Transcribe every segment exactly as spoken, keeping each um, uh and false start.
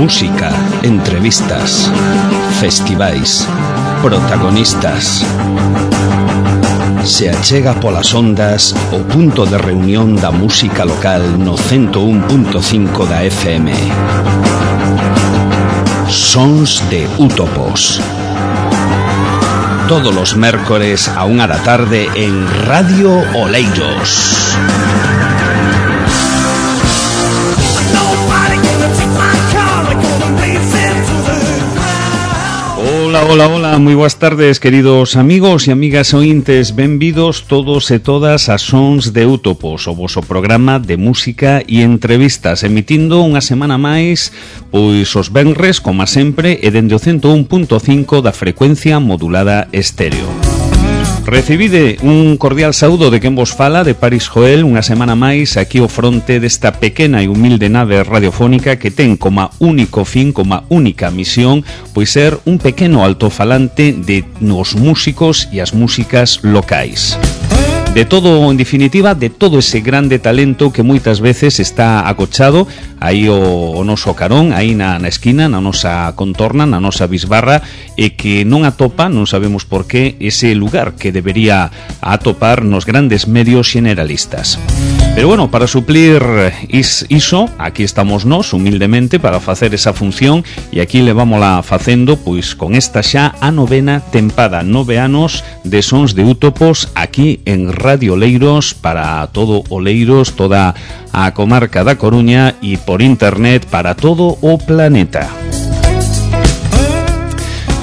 Música, entrevistas, festivais, protagonistas. Se achega polas ondas o punto de reunión da música local no ciento un punto cinco da F M. Sons de Útopos. Todos los mércores a unha da tarde en Radio Oleiros. Hola, hola, hola, moi boas tardes, queridos amigos e amigas ointes. Benvidos todos e todas a Sons de Útopos, o voso programa de música e entrevistas, emitindo unha semana máis, pois os venres, como sempre, e dende o ciento un punto cinco da frecuencia modulada estéreo. Recibide un cordial saúdo de quen vos fala, de Paris Joel, unha semana máis aquí ao fronte desta pequena e humilde nave radiofónica que ten como único fin, como única misión, pois ser un pequeno altofalante de nos músicos e as músicas locais. De todo, en definitiva, de todo ese grande talento que moitas veces está acochado aí o, o noso carón, aí na, na esquina, na nosa contorna, na nosa bisbarra, e que non atopa, non sabemos por qué, ese lugar que debería atopar nos grandes medios generalistas. Pero bueno, para suplir is, iso, aquí estamos nós, humildemente, para facer esa función, e aquí le vámola facendo, pois, con esta xa a novena tempada, nove anos de Sons de Útopos, aquí en Radio Oleiros, para todo Oleiros, toda a comarca da Coruña, e por internet para todo o planeta.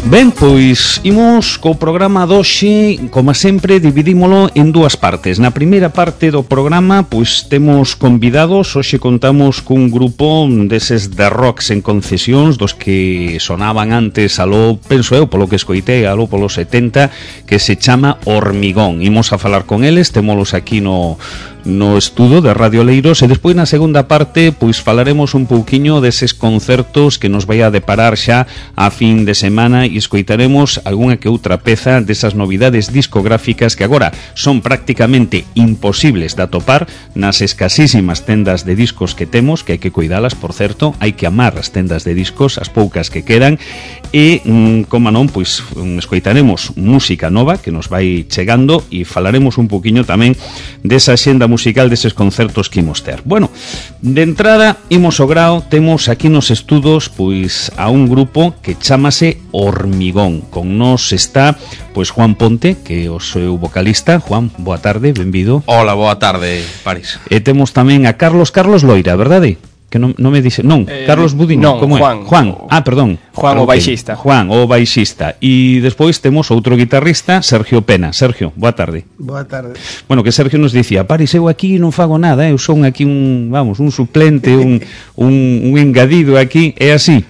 Ben, pois imos co programa doxe, como sempre, dividímolo en dúas partes. Na primeira parte do programa, pois temos convidados. Hoxe contamos cun grupo deses de rocks en concesións, dos que sonaban antes aló, penso eu, polo que escoitei, aló polos setenta, que se chama Hormigón. Imos a falar con eles, témolos aquí no... no estudo de Radio Oleiros, e despois na segunda parte pois falaremos un pouquiño deses concertos que nos vai a deparar xa a fin de semana, e escoitaremos algunha que outra peza desas novidades discográficas que agora son prácticamente imposibles de atopar nas escasísimas tendas de discos que temos, que hai que cuidalas, por certo, hai que amar as tendas de discos, as poucas que quedan, e, como non, pois escoitaremos música nova que nos vai chegando, e falaremos un pouquiño tamén desa xenda musical deses concertos que imos ter. Bueno, de entrada, imos ao grao, temos aquí nos estudos pois a un grupo que chámase Hormigón. Con nós está pois Juan Ponte, que é o seu vocalista. Juan, boa tarde, benvido. Hola, boa tarde, Paris. E temos tamén a Carlos, Carlos Loira, verdade? Que non, non me dice, non, eh, Carlos Budín, non, como Juan, é? Juan, ah, perdón. Juan, okay. o baixista. Juan, o baixista. E despois temos outro guitarrista, Sergio Pena. Sergio, boa tarde. Boa tarde. Bueno, que Sergio nos dicía, Paris, eu aquí non fago nada, eu son aquí un, vamos, un suplente, un, un, un engadido aquí, é así?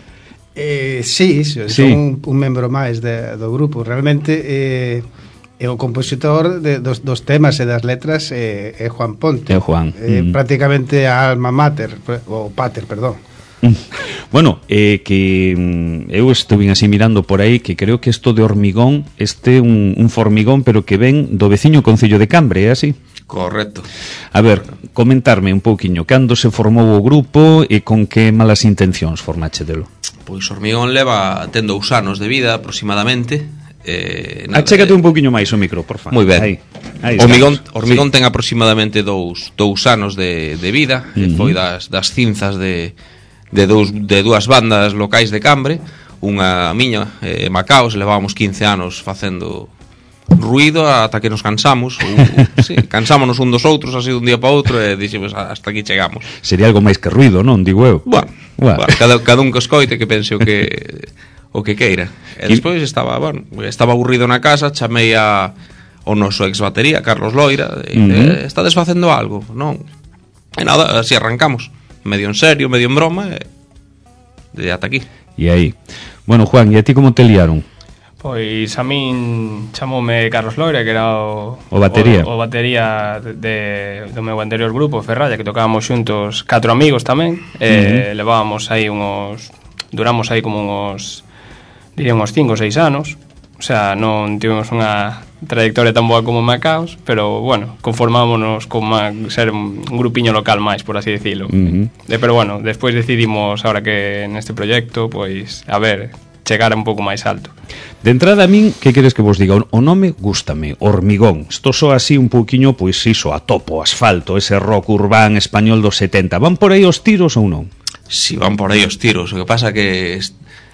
Eh, sí, son sí. un, un membro máis de, do grupo. Realmente eh, é o compositor de, dos, dos temas e das letras é, é Juan Ponte. É Juan. É mm. prácticamente a alma mater, ou pater, perdón. Bueno, eh, que mm, eu estuve así mirando por aí que creo que isto de Hormigón, este un, un formigón, pero que ven do veciño concello de Cambre, é así? Correcto. A ver, comentarme un pouquiño cando se formou o grupo e con que malas intencións formáchedelo. Pois Hormigón leva ten dous anos de vida aproximadamente. Eh, nada, Achégate un pouquiño máis o micro, por favor. Moi ben. Aí, aí Hormigón, Hormigón sí. ten aproximadamente dous, dous anos de, de vida. Uh-huh. Foi das, das cinzas de, de, dous, de dúas bandas locais de Cambre. Unha miña, eh, Macaos, levábamos quince anos facendo ruido ata que nos cansamos. uh, sí, cansámonos un dos outros así dun día para outro, e dixemos hasta aquí chegamos. Sería algo máis que ruido, non? Digo eu. Bueno, bueno. bueno cada, cada un que escoite que pense o que o que queira. E despois estaba, bueno, estaba aburrido na casa, chamei a o noso ex batería, Carlos Loira, e uh-huh. está desfacendo algo, non? E nada, así arrancamos, medio en serio, medio en broma, e de ata aquí. E aí. Bueno, Juan, e a ti como te liaron? Pois a min chamoume Carlos Loira, que era o, o batería, o, o batería de, de, do meu anterior grupo, Ferralla, que tocábamos xuntos catro amigos tamén, e uh-huh. levábamos aí uns, duramos aí como uns, diría uns cinco ou seis anos, o sea, non tivemos unha trayectoria tan boa como Macaos, pero, bueno, conformámonos con ma, ser un grupiño local máis, por así decirlo. Uh-huh. De, pero, bueno, despois decidimos, ahora que neste proxecto, pois, a ver, chegar un pouco máis alto. De entrada a min, que queres que vos diga? O nome gústame, Hormigón. Isto só así un pouquiño, pois iso, a topo, asfalto, ese rock urbán español dos setenta. Van por aí os tiros ou non? Si, van por aí os tiros. O que pasa que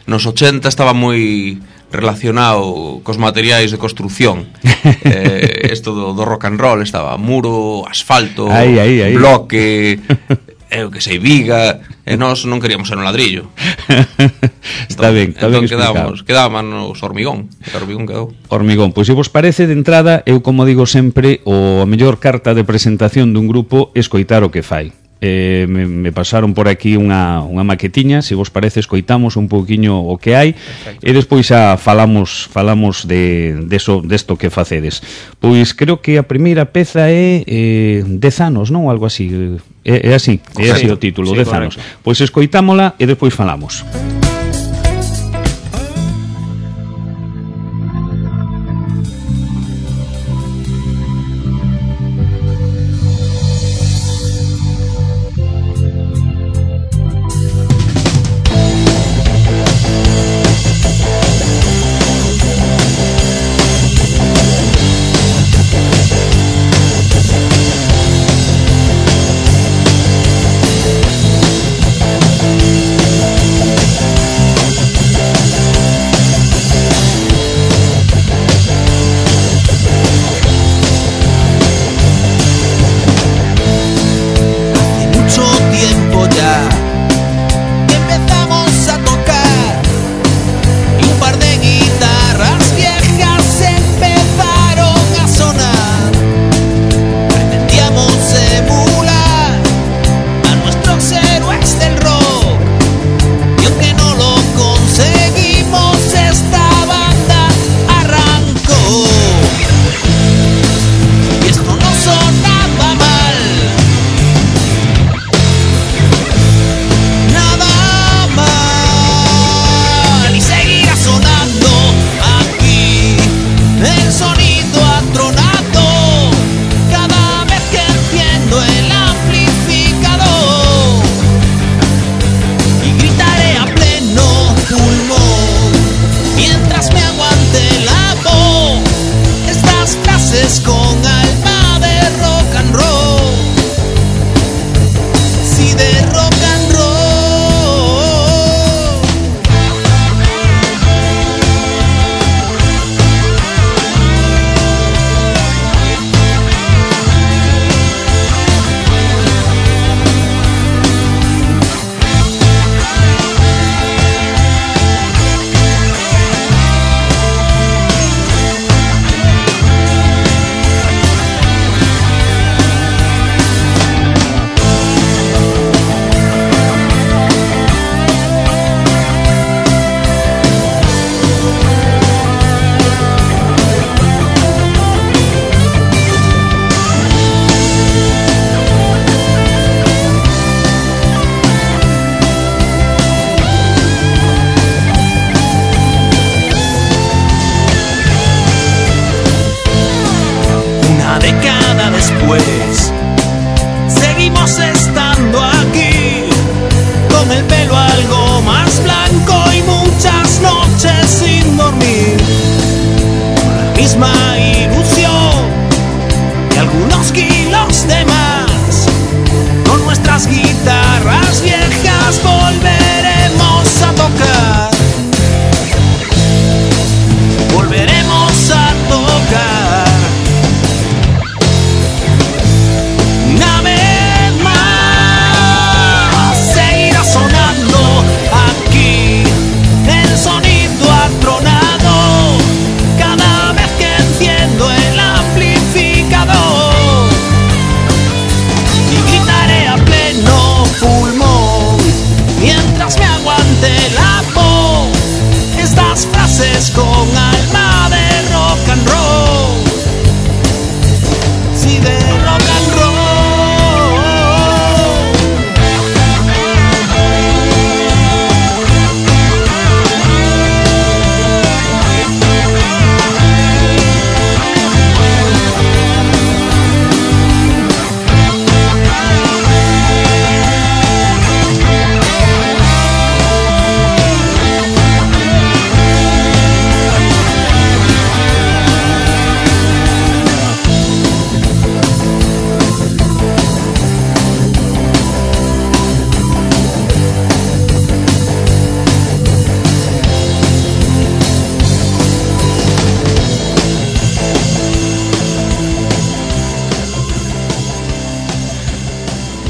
nos ochenta estaba moi relacionado cos materiais de construcción. eh, Esto do, do rock and roll estaba muro, asfalto, aí, aí, aí. bloque, eu que sei, viga, e nós non queríamos ser un ladrillo. Está entón, ben, está entón ben explicado. Quedábamos hormigón, e hormigón quedou. Hormigón, pois se vos parece, de entrada, eu como digo sempre, o a mellor carta de presentación dun grupo é escoitar o que fai. Eh, me, me pasaron por aquí unha, unha maquetiña, se vos parece escoitamos un pouquiño o que hai. Perfecto. E despois xa falamos falamos de deso, desto que facedes. Pois creo que a primeira peza é eh, dez anos, non? Algo así, é, é así, é así o título, sí, dez anos. Pois escoitámola e despois falamos.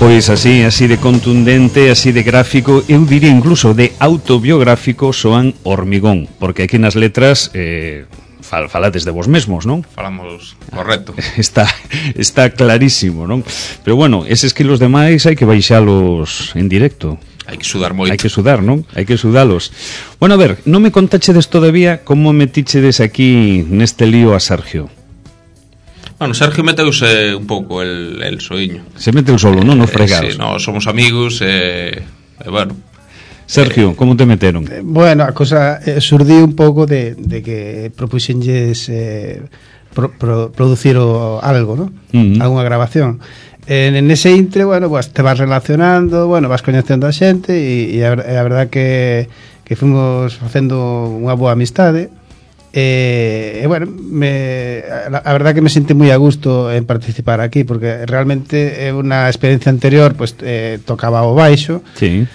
Pois así, así de contundente, así de gráfico, eu diría incluso de autobiográfico soan Hormigón, porque aquí nas letras eh, fal, falades de vos mesmos, non? Falamos correcto. Está, está clarísimo, non? Pero bueno, eses quilos demais hai que baixalos en directo. Hai que sudar moito. Hai que sudar, non? Hai que sudalos. Bueno, a ver, non me contachedes todavía como metichedes aquí neste lío a Sergio. Bueno, Sergio meteuse un pouco el, el soiño. Se meteu solo, non? Nos fregados. Eh, sí, no, somos amigos e, eh, eh, bueno. Sergio, eh, como te meteron? Eh, bueno, a cosa eh, surdiu un pouco de, de que propuxenlles eh, pro, pro, producir o, algo, ¿no? Uh-huh. Alguna grabación. En, en ese intre, bueno, pues te vas relacionando, bueno, vas coñecendo a xente e, e a, a verdad que, que fomos facendo unha boa amistade. E, e bueno, me, a, a verdad que me senti moi a gusto en participar aquí, porque realmente é unha experiencia anterior, pues eh, tocaba o baixo. Sí.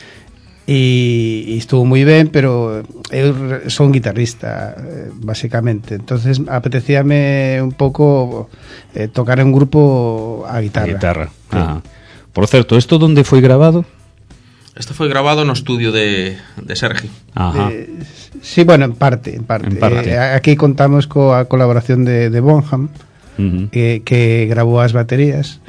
E, e estuvo moi ben, pero eu son guitarrista basicamente, entonces apetecíame un pouco eh, tocar en un grupo a guitarra, a guitarra. Sí. Ah. Por certo, ¿esto dónde foi grabado? Esto foi grabado no estudio de, de Sergio. Ajá. Eh, sí, bueno, en parte, en parte, en parte. Eh, aquí contamos coa colaboración de, de Bonham, uh-huh. que, que grabou as baterías.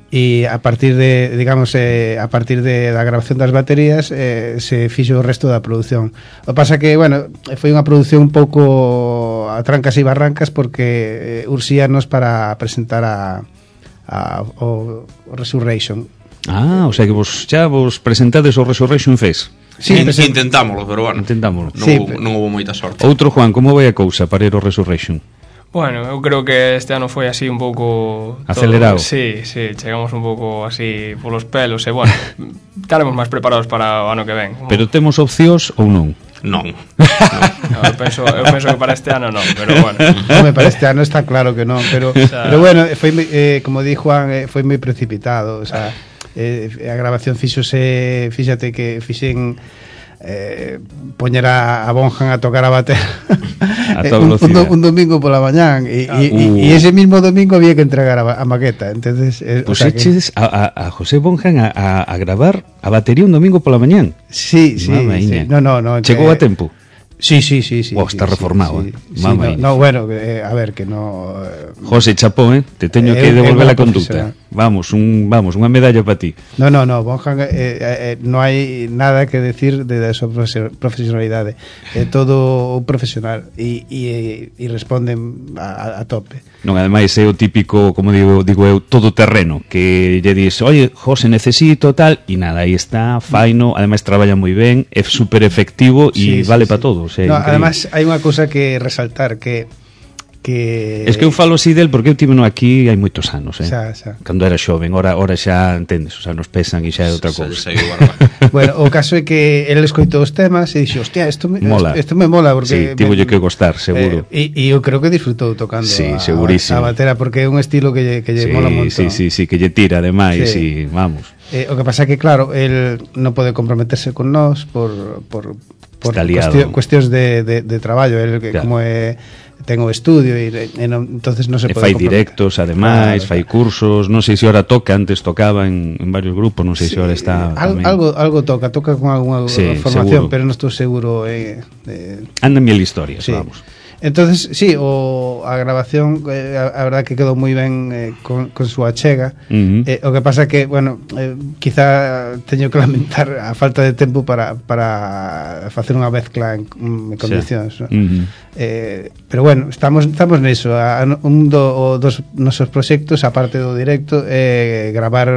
E a partir de, digamos, eh, a partir de da grabación das baterías eh, se fixo o resto da produción. O pasa que, bueno, foi unha produción un pouco a trancas e barrancas porque eh, ursíanos para presentar a, a o, o Resurrection. Ah, o sea que vos xa vos presentades o Resurrection Fest. Sí, present... intentámoslo, pero bueno, intentámoslo. Non, sí, hubo, non hubo moita sorte. Outro, Juan, como vai a cousa para ir ao Resurrection? Bueno, eu creo que este ano foi así un pouco acelerado. Todo. Sí, sí, chegamos un pouco así polos pelos e bueno, estaremos máis preparados para o ano que ven. Pero temos opcións ou non? Non. No, eu penso, eu penso que para este ano non, pero bueno. Home, para este ano está claro que non, pero o sea, pero bueno, foi eh, como di Juan, eh, foi moi precipitado, o sea, eh, a grabación fíxose, fíxate que fixen eh, poñer a, a Bonham a tocar a bater a un, un, un domingo pola mañán e, ah, uh. e ese mismo domingo había que entregar a, a maqueta, entonces eh, pues o sea eches que... a, a José Bonham a, a, a gravar a batería un domingo pola mañán. Sí, sí, sí. No, no, no, chegou que... a tempo. Sí, sí, sí, sí. Oh, está sí, reformado, sí, eh. Sí, no, no, bueno, eh, a ver, que no... Eh, José Chapó, eh, te teño eh, que devolver eh, a conducta. Vamos, un, vamos, unha medalla para ti. No, no, no, Bonham, eh, eh, no hai nada que decir de, de su profesionalidade. É eh, todo un profesional e, e, e responden a, a tope. Non, ademais é o típico, como digo, digo eu, todo terreno, que lle dis, oye, José, necesito tal, e nada, aí está, faino, ademais traballa moi ben, é super efectivo e sí, vale sí, para sí. todos. É no, además, hai unha cousa que resaltar, que que es que eu falo así del porque eu tive no aquí hai moitos anos, eh. Xa, xa. Cando era xoven, ora ora xa entendes, o sea, nos pesan e xa é outra cousa. Bueno, o caso é que el escoitou os temas e dixo, hostia, isto me mola. Isto me mola porque sí, tivolle que gostar, seguro. E eh, eu creo que disfrutou tocando sí, a, segurísimo. a batera porque é un estilo que lle, que lle sí, mola un montón. Sí, sí, sí, que lle tira ademais sí. e vamos. Eh, o que pasa é que claro, el non pode comprometerse con nós por por por cuestión, cuestións de, de, de traballo, el que claro. Como é ten o estudio e, e non, entonces non se e pode fai directos, ademais, claro, fai cursos, non sei se ora toca, antes tocaba en, en varios grupos, non sei sí, se ora está al, algo algo toca, toca con algunha sí, formación, seguro. Pero non estou seguro eh, eh, anda mil historias, sí. Vamos. Entonces, sí, o a grabación eh, a, a verdad que quedou moi ben eh, con, con súa chega. Uh-huh. eh, o que pasa que, bueno, eh, quizá teño que lamentar a falta de tempo para, para facer unha mezcla en, en condicións, sí. ¿No? Uh-huh. eh, pero bueno, estamos estamos neso. A, un do, dos nosos proxectos, aparte do directo, eh, gravar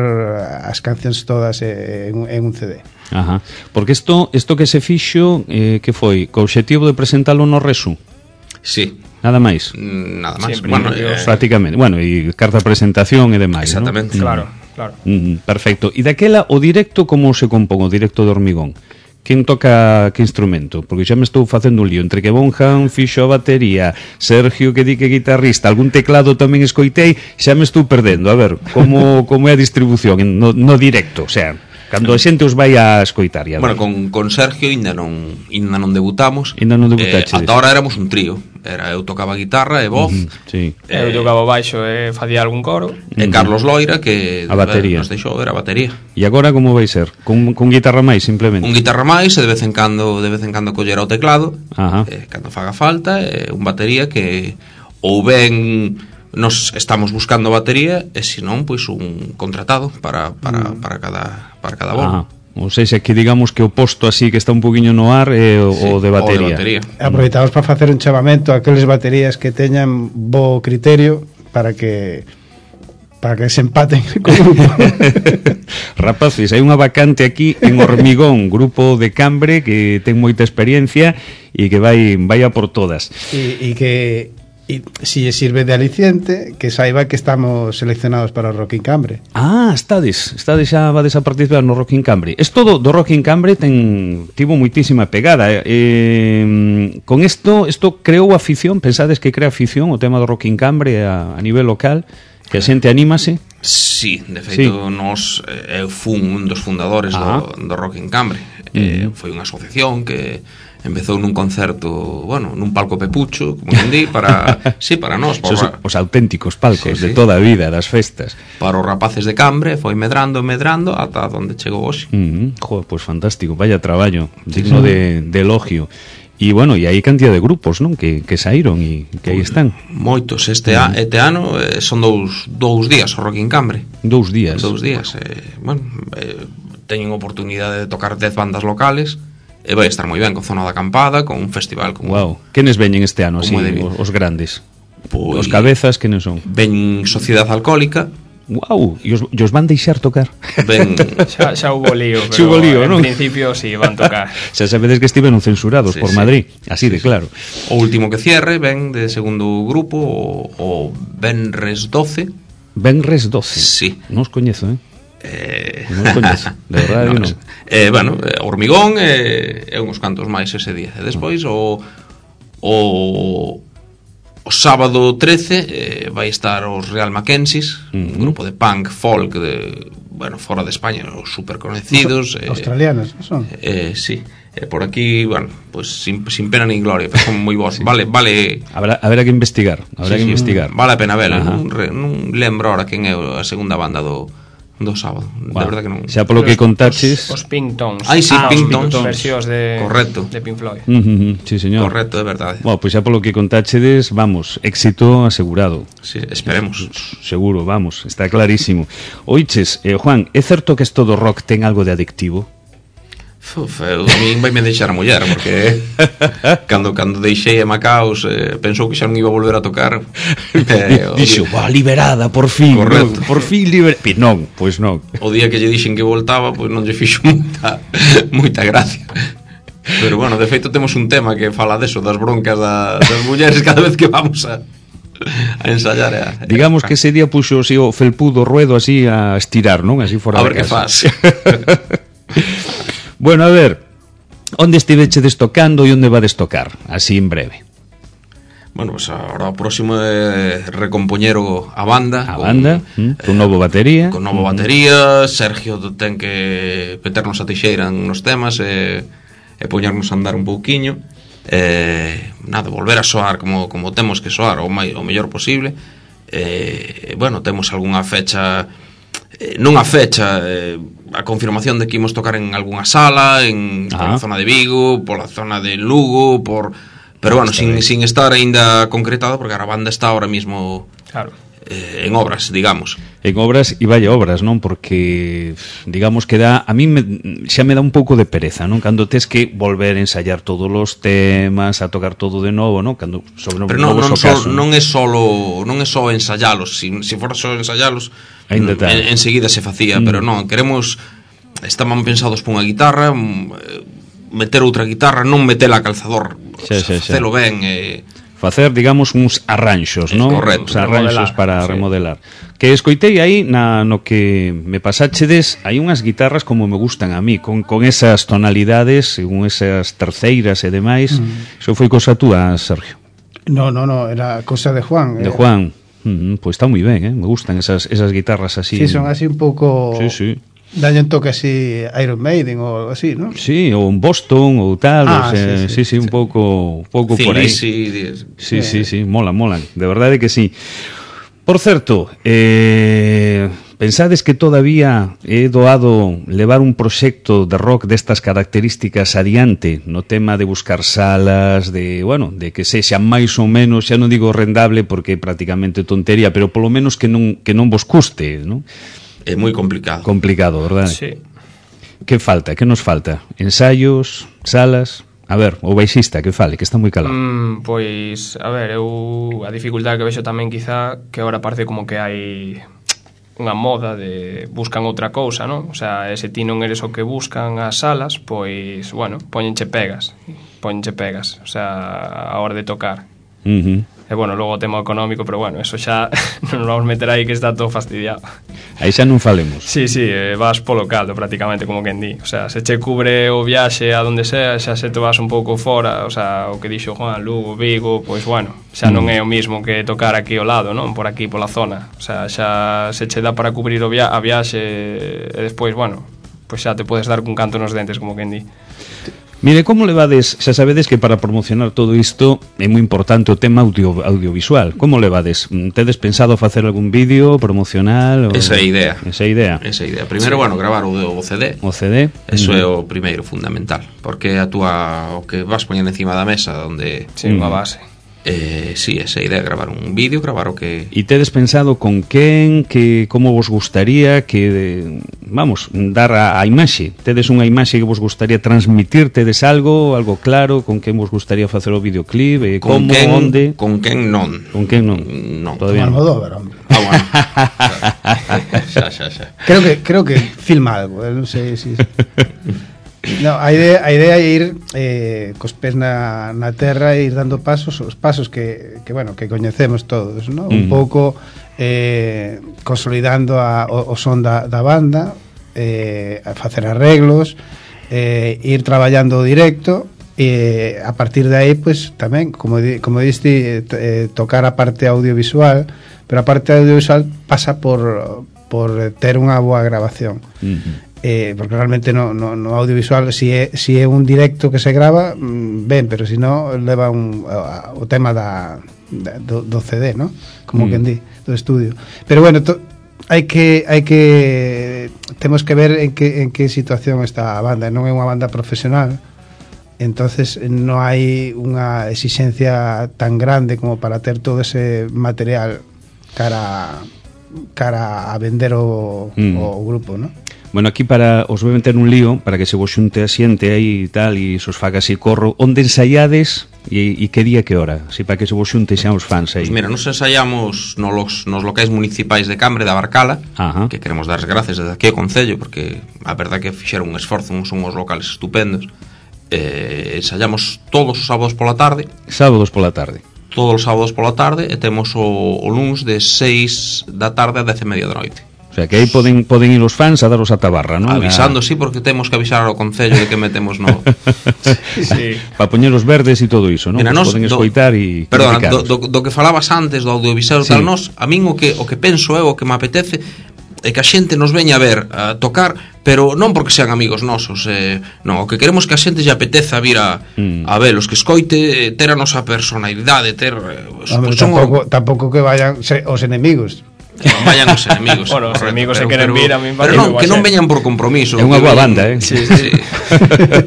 as cancións todas eh, en, en un C D. Ajá. Porque isto isto que se fixo, eh, que foi? Co obxectivo de presentalo no Resu? Sí. Nada máis? Nada máis. Siempre, bueno, eh, prácticamente. Bueno, e carta de presentación e demais, exactamente, ¿no? Claro, claro. Mm, perfecto. E daquela, o directo como se compón, o directo de Hormigón? Quen toca que instrumento? Porque xa me estou facendo un lío entre que Bonham fixo a batería, Sergio que di que guitarrista, algún teclado tamén escoitei, xa me estou perdendo. A ver, como, como é a distribución no, no directo, o sea... Cando a xente os vai a escoitar. Bueno, con, con Sergio ainda non ainda non debutamos. Ainda non debutaches. Eh, ata ahora éramos un trío. era eu tocaba guitarra e voz. Uh -huh, sí. Eu tocaba baixo e facía algún coro. E Carlos Loira, que a batería. nos deixou ver a batería. E agora como vai ser? Con, con guitarra máis, simplemente? Un guitarra máis, e de vez en cando de vez en cando collera o teclado, eh, cando faga falta, e un batería que ou ben nos estamos buscando batería, e senón pois un contratado para para para cada para cada bolo. Ou seja, que digamos que o posto así que está un poquinho no ar é o, sí, o de batería. O de batería. Aproveitamos para facer un chamamento a aqueles baterías que teñan bo criterio para que para que se empaten co grupo. Rapaces, hai unha vacante aquí en Hormigón, grupo de Cambre que ten moita experiencia e que vai vai a por todas. E, e que e si sirve de aliciente, que saiba que estamos seleccionados para o Rock in Cambre. Ah, estades, estades xa vades a participar no Rock in Cambre. Esto do, do Rock in Cambre ten tivo moitísima pegada. Eh, con isto, isto creou afición, pensades que crea afición o tema do Rock in Cambre a, a nivel local, que a xente anímase? Sí, de feito, sí. Nos eu fun un dos fundadores do, do Rock in Cambre. Uh -huh. eh, foi unha asociación que empezou nun concerto, bueno, nun palco pepucho, como quen di, para, sí, para nós, para os, os auténticos palcos, sí, de sí, toda a vida, das festas. Para os rapaces de Cambre, foi medrando, medrando, ata onde chegou hoxe. Uh -huh. Joder, pois pues fantástico, vaya traballo, digno sí, de, de elogio. E, bueno, e hai cantidad de grupos, non? Que, que saíron e que aí están. Moitos, este, a, este ano eh, son dous, dous días o Rock in Cambre. Dous días? Dous días, eh, bueno, eh, teñen oportunidade de tocar dez bandas locales, e vai estar moi ben con zona de acampada, con un festival como... Wow, quenes veñen este ano así, os, os grandes? Pois, os cabezas, quenes son? Ven Sociedade Alcohólica. Wow, e os, os van deixar tocar? Ben... xa, xa hubo lío, pero xa hubo lío, en non? principio sí, van tocar. Xa sabedes que estiveron censurados sí, por sí. Madrid, así sí, de claro. O último que cierre ven de segundo grupo, o, o Benres doce. Benres doce? Sí. Non os coñezo, eh? Eh... Non os coñezo, de verdade no, non. Eh, bueno, Hormigón e eh, uns cantos máis ese día. E despois o o o sábado trece eh, vai estar os Real Mackenzies, uh -huh. un grupo de punk folk de, bueno, fora de España, os super conocidos, eh, australianos, son. Eh, sí. Eh, por aquí, bueno, pues sin, sin pena ni gloria, pero son moi bons. Sí. Vale, vale. Habrá, habrá que investigar, habrá sí, que sí, investigar. Vale a pena vela, non, non lembro ahora quen é a segunda banda do do sábado, bueno, de verdad que non. Xa polo que contaches, os, os Pink-Tones. Ai, sí, ah, Pink-Tones, versións de correcto. De Pink Floyd. Uh -huh, sí, señor. Correcto, é verdade. Bueno, pois pues xa polo que contachedes, vamos, éxito asegurado. Sí, esperemos. Seguro, vamos, está clarísimo. Oiches, eh, Juan, é certo que esto do rock ten algo de adictivo? Uf, eu, a min vai me deixar a muller, porque cando cando deixei a Macaos eh, pensou que xa non iba a volver a tocar. eh, Dixo, va, liberada, por fin. Correcto. No, por fin liberada. Non, pois non. O día que lle dixen que voltaba, pois non lle fixo moita, moita gracia. Pero bueno, de feito temos un tema que fala deso, das broncas da, das mulleres cada vez que vamos a a ensayar. A, digamos a... que ese día puxo así, o felpudo ruedo así a estirar, non? Así fora a de ver casa. que faz. Bueno, a ver, onde estivechedes tocando e onde vades tocar, así en breve? Bueno, pues ahora o próximo é recompoñero a banda. A con, banda, mm, con eh, novo batería. Con novo batería, Sergio ten que meternos a tixeira nos temas e, e poñernos a andar un pouquiño. Eh, nada, volver a soar como, como temos que soar o, mai, o mellor posible. Eh, bueno, temos algunha fecha... Eh, non a fecha, eh, a confirmación de que imos tocar en algunha sala, en pola zona de Vigo, pola zona de Lugo, por pero bueno, sin, sin estar aínda concretado, porque a banda está ahora mismo claro. eh, en obras, digamos. En obras, e vaya obras, non? Porque, digamos que dá, a mí me, xa me dá un pouco de pereza, non? Cando tes que volver a ensayar todos os temas, a tocar todo de novo, non? Cando sobre pero non, non, so, non é solo non é só ensayalos, se si, si fora só ensayalos en, enseguida se facía, mm. pero non, queremos, estaban pensados por unha guitarra, meter outra guitarra, non metela a calzador, xa, xa, xa. Facelo ben, eh, facer, digamos, uns arranxos, non? Correcto. Uns arranxos remodelar, para sí. remodelar. Que escoitei aí na, no que me pasáchedes, hai unhas guitarras como me gustan a mí, con, con esas tonalidades, con esas terceiras e demais. Mm. Iso foi cosa túa, Sergio? No, no, no, era cosa de Juan. De eh. Juan. Mm, pois pues está moi ben, eh? Me gustan esas, esas guitarras así. Sí, son así un pouco... Sí, sí. Daño un toque así Iron Maiden ou así, non? Sí, ou un Boston ou tal, Ah, o sea, sí, sí, sí, sí, sí, un sí. pouco un pouco por aí. Sí, Sí, sí, sí, mola, mola, de verdade que sí. Por certo, eh, pensades que todavía é doado levar un proxecto de rock destas características adiante no tema de buscar salas, de, bueno, de que sexa máis ou menos, xa non digo rendable porque é prácticamente tontería, pero polo menos que non que non vos custe, non? É moi complicado. Complicado, verdade? Sí. Que falta? Que nos falta? Ensaios, salas? A ver, o baixista que fale, que está moi calado. Mm, pois, a ver, eu a dificultade que vexo tamén quizá que agora parece como que hai unha moda de buscan outra cousa, non? O sea, se ti non eres o que buscan as salas, pois, bueno, poñenche pegas, poñenche pegas, o sea, a hora de tocar. Uh-huh. E bueno, logo o tema económico, pero bueno, eso xa non nos vamos meter aí que está todo fastidiado. Aí xa non falemos. Sí, sí, eh, vas polo caldo prácticamente, como quen di. O sea, se che cubre o viaxe a donde sea, xa se te vas un pouco fora, o sea, o que dixo Juan, Lugo, Vigo, pois bueno, xa non é o mismo que tocar aquí ao lado, non? Por aquí, pola zona. O sea, xa se che dá para cubrir o via a viaxe e despois, bueno, pois xa te podes dar cun canto nos dentes, como quen di. Mire, como levades, xa sabedes que para promocionar todo isto é moi importante o tema audio, audiovisual. Como levades? Tedes pensado facer algún vídeo promocional? Ou... Esa é a idea. Esa idea. Esa idea. Primeiro, sí. bueno, gravar o, o C D. O C D. Eso uh-huh. é o primeiro, fundamental. Porque a túa, o que vas poñendo encima da mesa onde... Sí, unha base. Eh, sí, esa idea, gravar un vídeo, gravar o que... E tedes pensado con quen, que como vos gustaría que, vamos, dar a, a imaxe? Tedes unha imaxe que vos gustaría transmitir? Tedes algo, algo claro, con quen vos gustaría facer o videoclip? Eh, con como, quen, onde? Con quen non. Con quen non? Non. Todavía non. Almodóvar, hombre. Ah, bueno. xa, xa, xa. Creo que creo que filma algo, eh, non sei se si... No, a idea, a idea é ir eh, cos pés na, na terra e ir dando pasos, os pasos que, que bueno, que coñecemos todos, ¿no? Un Mm. pouco eh, consolidando a, o, o son da, da banda, eh, a facer arreglos, eh, ir traballando o directo e a partir de aí, pues tamén, como, di, como diste, eh, tocar a parte audiovisual, pero a parte audiovisual pasa por, por ter unha boa grabación. Uh-huh. Eh, porque realmente no, no, no audiovisual si é, si é un directo que se grava mm, ben, pero si no leva un, a, o tema da, da, do, do C D, ¿no? Como mm. quen di, do estudio. Pero bueno, to, hai que hai que temos que ver en que en que situación está a banda. Non é unha banda profesional, entonces non hai unha exigencia tan grande como para ter todo ese material cara cara a vender o, mm. o grupo, ¿no? Bueno, aquí para os vou meter un lío para que se vos xunte a xente aí e tal e se os faga así corro. Onde ensaiades e, e que día que hora? Así para que se vos xunte xa os fans aí. Pues mira, nos ensaiamos nos, nos locais municipais de Cambre, da Barcala. Ajá. Que queremos dar as gracias desde aquí ao Concello, porque a verdad que fixeron un esforzo, son uns locales estupendos. Eh, ensaiamos todos os sábados pola tarde. Sábados pola tarde. Todos os sábados pola tarde e temos o, o luns de seis da tarde a dez e media da noite. O sea, que aí poden poden ir os fans a daros a tabarra, non? Avisando, a... sí, porque temos que avisar ao Concello de que metemos no... Sí. Para poñer os verdes e todo iso, non? Mira, nos, poden do, escoitar e... Perdona, do, do, do que falabas antes, do audiovisual, sí. Tal, nos, a min o que, o que penso é, o que me apetece é que a xente nos veña a ver, a tocar, pero non porque sean amigos nosos, eh, non, o que queremos que a xente lle apeteza vir a, mm. a velos, que escoite, ter a nosa personalidade, ter... Eh, Hombre, pues, tampouco, tampouco que vayan se, os enemigos. Que non vayan os enemigos. Bueno, os enemigos se pero, queren pero, vir a min pero non, que non veñan por compromiso. É unha boa veñan, banda, eh. Sí, sí.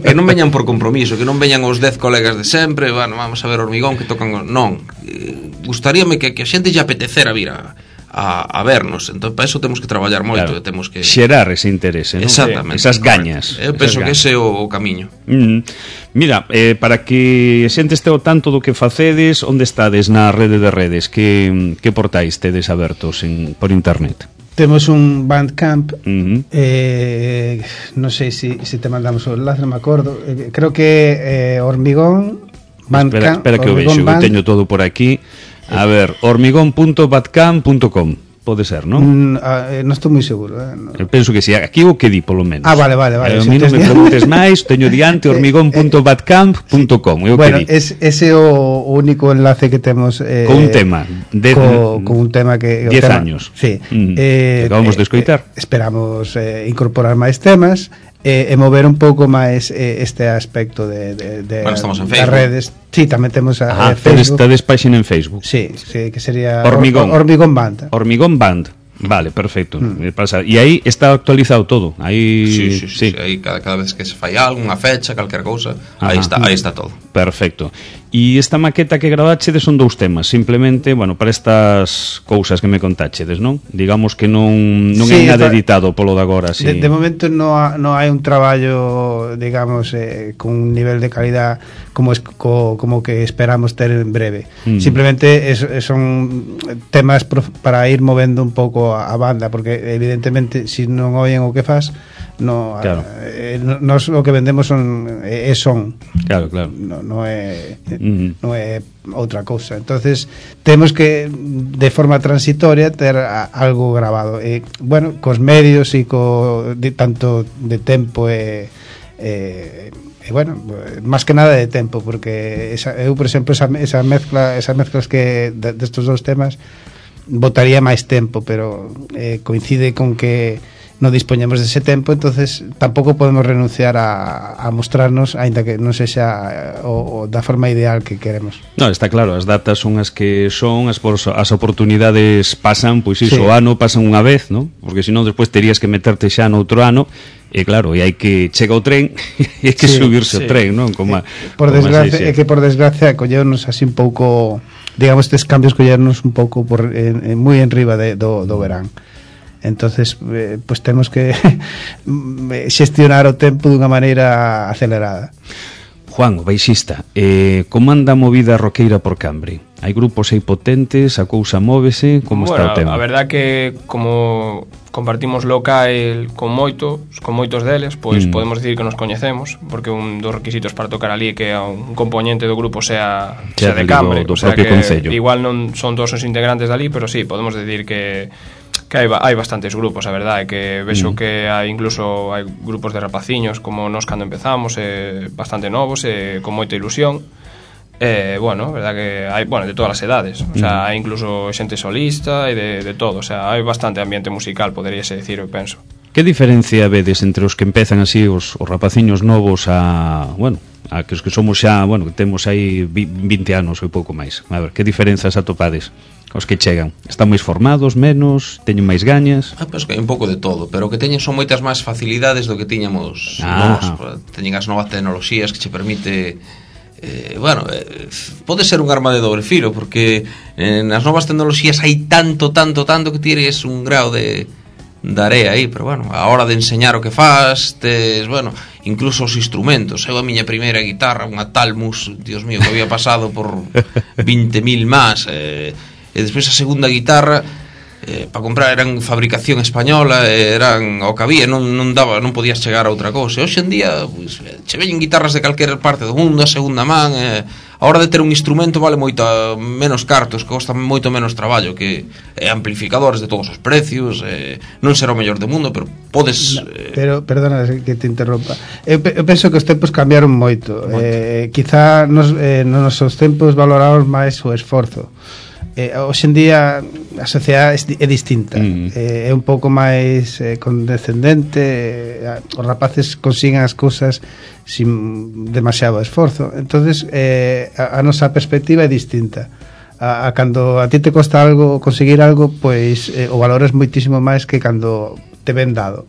Que non veñan por compromiso, que non veñan os dez colegas de sempre, bueno, vamos a ver Hormigón que tocan, non. Eh, gustaríame que, que a xente lle apetecera vir a A, a vernos, entón para eso temos que traballar moito, claro. Temos que xerar ese interese, non? Exactamente. Esas gañas. Eu penso que ese é o, o camiño. Mm. Mira, eh, para que a xente este ao tanto do que facedes, onde estades na rede de redes? Que, que portais tedes abertos en, por internet? Temos un Bandcamp, Uh-huh. eh, non sei se si, si te mandamos o enlace, non me acordo, eh, creo que eh, Hormigón Espera, Bandcamp, espera que o vexo, eu teño todo por aquí. A ver, hormigón punto bandcamp punto com. Pode ser, non? Mm, ah, eh, non estou moi seguro, eh? No. Eu penso que si, aquí o que di, polo menos. Ah, vale, vale, vale. Eh, a mí non me preguntes máis, teño diante hormigón punto badcamp punto com. Bueno, es, ese é o único enlace que temos eh, con un tema de, co, con un tema que diez años. Sí. Mm, eh, acabamos eh, de escoitar. Eh, esperamos eh, incorporar máis temas e eh, mover un pouco máis eh, este aspecto de, de, de bueno, estamos en das redes. Sí, tamén temos a ah, eh, Facebook. Estades páxina en Facebook. Sí, sí, que sería Hormigón. Or, Hormigón Band. Hormigón Band. Vale, perfecto. Mm. E aí está actualizado todo. Aí sí, sí, sí, sí. sí. Aí cada, cada vez que se fai algo, unha fecha, calquer cousa, aí está, aí está todo. Perfecto. E esta maqueta que gravachedes son dous temas, simplemente, bueno, para estas cousas que me contáchedes, non? Digamos que non non sí, é nada está, editado polo de agora, sí. De, de momento non ha, no hai un traballo, digamos, eh, con un nivel de calidad como es, co, como que esperamos ter en breve. Mm. Simplemente es, son temas prof, para ir movendo un pouco a, a banda, porque evidentemente se si non oyen o que faz, no, claro. eh, nos o que vendemos son é eh, son. Claro, claro. No, no é mm. non é outra cousa. Entonces, temos que de forma transitoria ter a, algo grabado. E bueno, cos medios e co de, tanto de tempo e e E bueno, máis que nada de tempo, porque esa, eu, por exemplo, esa, esa mezcla, esas mezclas que destos de dous temas botaría máis tempo, pero eh, coincide con que non dispoñemos dese tempo, entonces tampouco podemos renunciar a, a mostrarnos, aínda que non sexa o, o da forma ideal que queremos. No, está claro, as datas son as que son, as, as oportunidades pasan, pois iso, sí. o ano pasan unha vez, ¿no? Porque senón despois terías que meterte xa noutro ano. E claro, e hai que chega o tren e hai que sí, subirse sí. o tren, non? Como, por como desgracia, é que por desgracia collernos así un pouco, digamos, estes cambios collernos un pouco por en, en, moi en riba de, do, do verán. Entonces, eh, pues temos que xestionar o tempo dunha maneira acelerada. Juan, o baixista, eh, como anda a movida roqueira por Cambre? Hai grupos aí potentes, a cousa móvese, como bueno, está o tema? A verdad que como compartimos local con moitos, con moitos deles, pois mm. podemos decir que nos coñecemos, porque un dos requisitos para tocar ali que un componente do grupo sea, sea de Cambre, do, do o sea propio que concello. Igual non son todos os integrantes dali, pero sí, podemos decir que que hai, hai bastantes grupos, a verdade, que vexo mm. que hai incluso hai grupos de rapaciños como nós cando empezamos, eh, bastante novos, eh, con moita ilusión. Eh, bueno, verdad que hai, bueno, de todas as edades, o sea, mm. hai incluso xente solista e de, de todo, o sea, hai bastante ambiente musical, poderíase decir, eu penso. Que diferencia vedes entre os que empezan así os, os rapaciños novos a, bueno, a que os que somos xa, bueno, que temos aí vinte anos ou pouco máis? A ver, que diferenzas atopades? Os que chegan, están máis formados, menos, teñen máis gañas? Ah, pois que hai un pouco de todo, pero o que teñen son moitas máis facilidades do que tiñamos ah. nós. Teñen as novas tecnoloxías que che permite eh, bueno, eh, pode ser un arma de dobre filo, porque eh, nas novas tecnoloxías hai tanto, tanto, tanto que tires un grao de de area aí, pero bueno, a hora de enseñar o que faz, tes, bueno, incluso os instrumentos. Eu a miña primeira guitarra, unha Talmus, Dios mío, que había pasado por vinte mil más, eh, e despois a segunda guitarra eh, para comprar eran fabricación española, eran o que había, non, non daba, non podías chegar a outra cousa. E hoxe en día, pues, che veñen guitarras de calquera parte do mundo, a segunda man, eh, a hora de ter un instrumento vale moito menos cartos, costa moito menos traballo, que eh, amplificadores de todos os precios, eh, non será o mellor do mundo, pero podes... Eh... Pero, perdona que te interrompa, eu, eu penso que os tempos cambiaron moito, moito. Eh, quizá nos, eh, nos nosos tempos valoramos máis o esforzo. Eh, hoxe en día a sociedade é distinta, mm. eh, é un pouco máis eh, condescendente, eh, os rapaces consiguen as cousas sin demasiado esforzo, entonces eh, a, a nosa perspectiva é distinta. A, a cando a ti te costa algo conseguir algo, pois eh, o valor é moitísimo máis que cando te ven dado.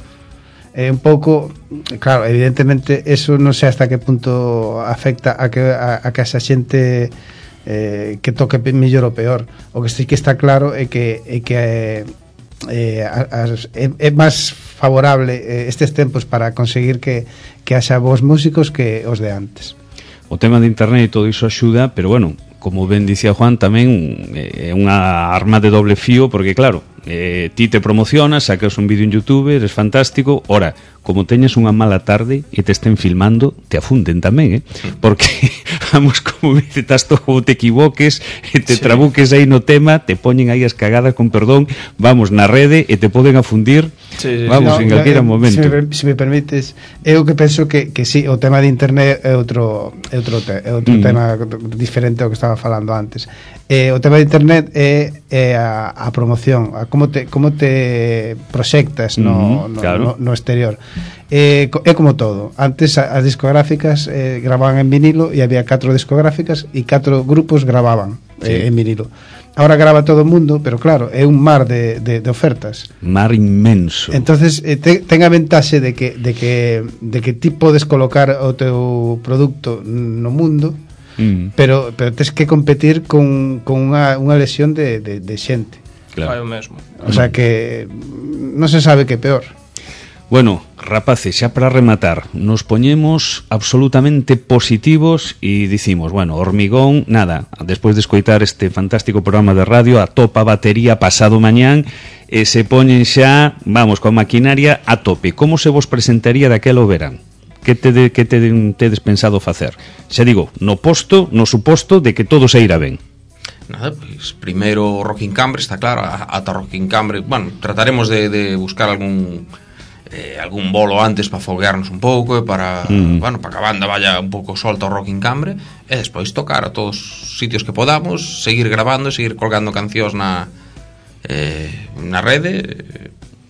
É un pouco, claro, evidentemente eso non sei hasta que punto afecta a que a, a que esa xente Eh, que toque mellor ou peor. O que sí que está claro é que é que eh, as, é, é máis favorable eh, estes tempos para conseguir que, que haxa bons músicos que os de antes. O tema de internet e todo iso axuda, pero bueno, como ben dicía Juan, tamén é unha arma de doble fío, porque claro, eh, ti te promocionas, sacas un vídeo en YouTube, eres fantástico. Ora, como teñas unha mala tarde e te estén filmando, te afunden tamén, eh? Porque, vamos, como dice, estás todo, te equivoques e te sí. trabuques aí no tema, te poñen aí as cagadas, con perdón, vamos, na rede e te poden afundir, sí, sí, vamos, sí. No, en calquera no, momento. Se me, se me permites, eu que penso que, que sí, o tema de internet é outro, é outro, te, é outro mm. tema diferente ao que estaba falando antes. Eh, o tema de internet é, é a, a promoción, a como te, como te proxectas no, mm, no, claro. no, no exterior. Eh, é como todo. Antes as discográficas eh, gravaban en vinilo e había catro discográficas e catro grupos gravaban sí. eh, en vinilo. Ahora grava todo o mundo, pero claro, é un mar de, de, de ofertas. Mar inmenso. Entonces, eh, te, ten a ventaxe de que, de, que, de que ti podes colocar o teu produto no mundo, mm. pero, pero tens que competir con, con unha, unha lesión de, de, de xente. Claro. O mesmo. O sea que non se sabe que é peor. Bueno, rapaces, xa para rematar, nos poñemos absolutamente positivos e dicimos, bueno, Hormigón, nada, despois de escoitar este fantástico programa de radio, a topa batería pasado mañán, e se poñen xa, vamos, coa maquinaria a tope. Como se vos presentaría daquelo verán? Que te, de, que te tedes pensado facer? Xa digo, no posto, no suposto de que todo se irá ben. Nada, pois primeiro Rocking Cambre, está claro, ata Rocking Cambre, bueno, trataremos de, de buscar algún eh, algún bolo antes para foguearnos un pouco e para, mm. bueno, para que a banda vaya un pouco solta ao Rocking Cambre e despois tocar a todos os sitios que podamos, seguir grabando e seguir colgando cancións na eh, na rede,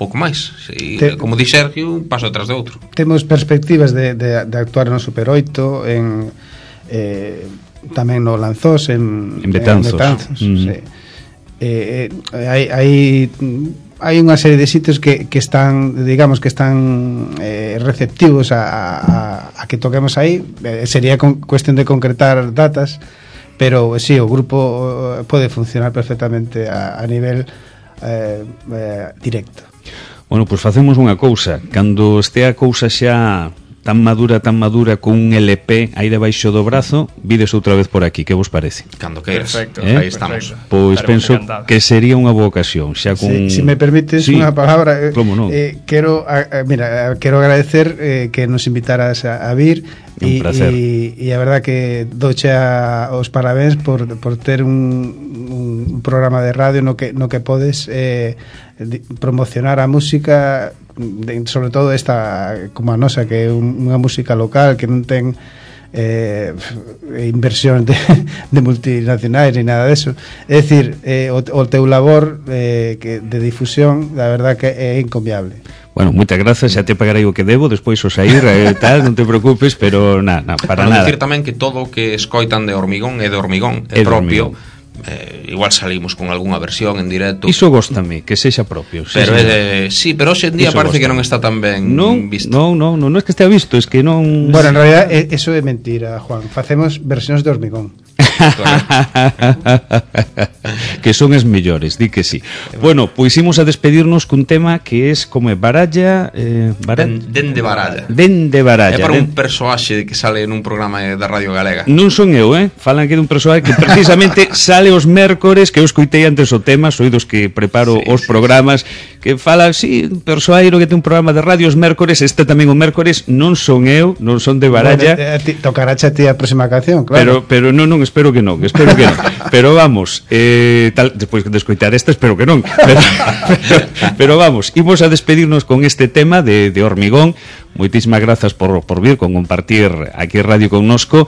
pouco máis. E, Te, como di Sergio, un paso atrás de outro. Temos perspectivas de, de, de actuar no Super oito, en eh, tamén no Lanzós, en, en Betanzos, en Betanzos mm. sí. eh, eh, hai, hai hai unha serie de sitios que, que están, digamos, que están eh, receptivos a, a, a que toquemos aí. Eh, sería con, cuestión de concretar datas, pero sí, o grupo pode funcionar perfectamente a, a nivel eh, eh, directo. Bueno, pois pues facemos unha cousa, cando este a cousa xa tan madura, tan madura, con un L P aí debaixo do brazo, vides outra vez por aquí, que vos parece? Cando queiras. Perfecto, eh? Aí estamos. Pois pues penso que sería unha boa ocasión, xa con... Si, si me permites sí. unha palabra, eh, no? eh, quero a, a, mira, quero agradecer eh, que nos invitaras a, a vir e e a verdad que doche a, os parabéns por, por ter un, un programa de radio no que, no que podes eh, promocionar a música, de, sobre todo esta como a nosa, que é un, unha música local que non ten eh, inversión de, de multinacionais ni nada deso. É dicir, eh, o, o teu labor eh, que, de difusión, la verdad que é encomiable. Bueno, moitas grazas, xa te pagarei o que debo despois o sair e eh, tal, non te preocupes, pero na, na, para bueno, nada. Dicir tamén que todo o que escoitan de Hormigón é de Hormigón, é, é propio. Eh, igual salimos con algunha versión en directo. Iso góstame, que sexa propio. Sí, pero é, sí, pero hoxe en día Iso parece góstame. Que non está tan ben non, visto. Non, non, non, non é que estea visto, es que non... Bueno, en realidad eso é mentira, Juan. Facemos versións de Hormigón. Que son as mellores, di que sí. Bueno, pois imos a despedirnos cun tema que es como é Baralla, eh, Baralla? Den, den de Baralla. Den de Baralla. É para den... un persoaxe que sale nun programa da Radio Galega. Non son eu, eh? Falan que dun persoaxe que precisamente sale os mércores, que eu escoitei antes o tema, soy dos que preparo sí, os sí, programas, que fala, sí, un persoairo que ten un programa de radio os mércores, este tamén o mércores, non son eu, non son de Baralla. Bueno, eh, tocará a ti a próxima canción, Pero, claro. pero non, non, espero que non, espero que non. Pero vamos, eh, tal, despois de escoitar esta, espero que non. Pero, pero, pero vamos, imos a despedirnos con este tema de, de Hormigón. Moitísimas grazas por, por vir, con compartir aquí radio connosco.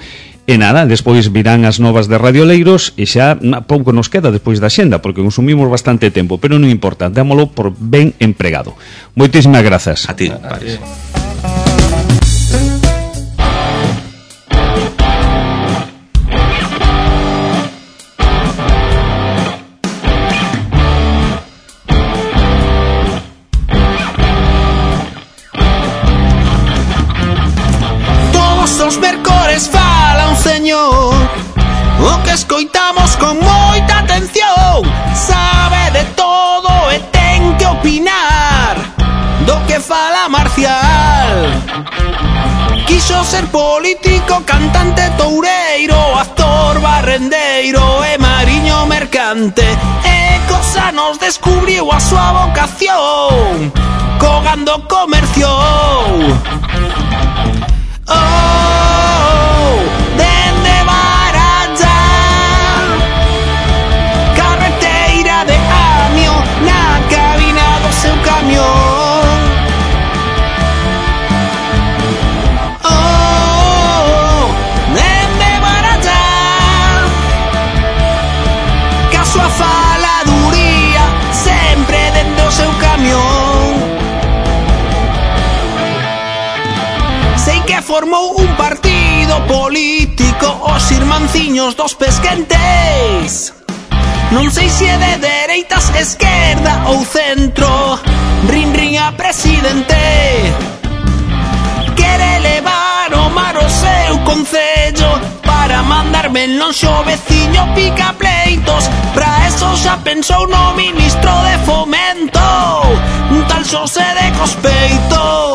E nada, despois virán as novas de Radioleiros e xa pouco nos queda despois da xenda, porque consumimos bastante tempo, pero non importa, dámolo por ben empregado. Moitísimas grazas. A ti, Paris. O que escoitamos con moita atención, sabe de todo e ten que opinar do que fala Marcial. Quiso ser político, cantante, toureiro, actor, barrendeiro e mariño mercante, e cosa nos descubriu a súa vocación. Co cando comerciou. Oh, dende Baralla, carreteira de Amio, na cabina do seu camión. Oh, dende Baralla, ca súa faladuría sempre dende o seu camión. Sei que formou un partido político, os irmanciños dos pesquentes. Non sei se é de dereitas, esquerda ou centro, rin rin a presidente. Quere levar o mar o seu concello para mandarme en lonxe o veciño pica pleitos. Pra eso xa pensou no ministro de Fomento, un tal Xosé de Cospeito.